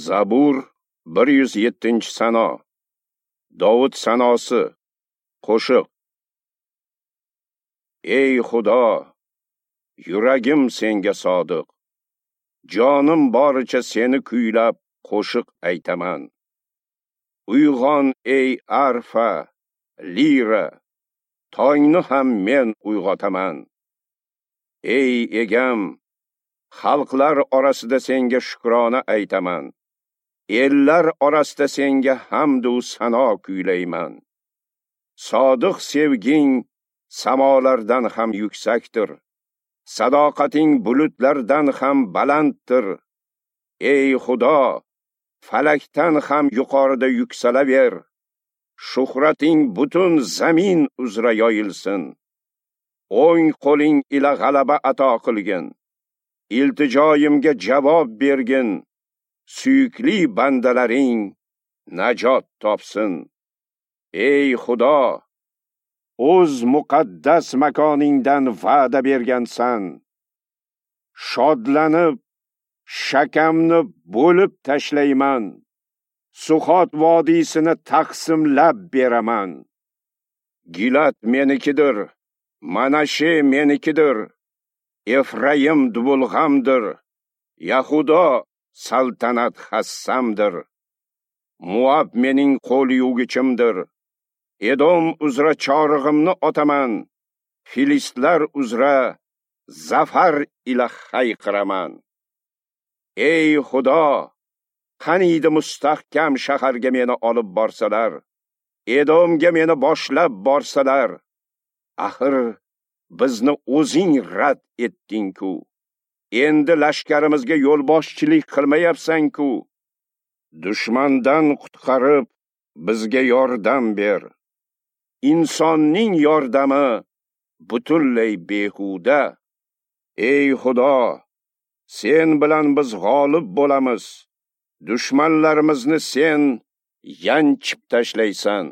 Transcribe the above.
Zabur 107-sano. Dovud sanosi. Qo'shiq. Ey Xudo, yuragim senga sodiq. Jonim boricha seni kuylab qo'shiq aytaman. Uyg'on ey arfa, lira, tongni ham men uyg'otaman. Ey egam, xalqlar orasida senga shukrona aytaman. Ellar orasida senga hamd u sano kuylayman. Sodiq sevging samolardan ham yuksakdir. Sadoqating bulutlardan ham balanddir. Ey Xudo, falakdan ham yuqorida yuksalaver. Shuhrating butun zamin uzra yoyilsin. O'ng qo'ling ila g'alaba ato qilgin. Iltijoyimga javob bergin. Suyukli bandalaring najot topsin. Ey Xudo, o'z muqaddas makoningdan va'da bergansan. Shodlanib, shakamni bo'lib tashlayman. Suxot vodiysini taqsimlab beraman. Gilat menikidir, Manashe menikidir, Efraim dubulg'amdir, Yahudo saltanat hassamdir. Muab mening qo'l yuvgichimdir. Edom uzra chorig'imni otaman, Filistlar uzra zafar ila hayqiraman. Ey Xudo, qaniydi mustahkam shaharga meni olib borsalar, Edomga meni boshlab borsalar. Axir bizni o'zing rad etding-ku. Endi lashkarimizga yo'lboshchilik qilmayapsan-ku. Dushmandan qutqarib, bizga yordam ber. Insonning yordami butunlay behuda. Ey Xudo, sen bilan biz g'olib bo'lamiz. Dushmanlarimizni sen yanchib tashlaysan.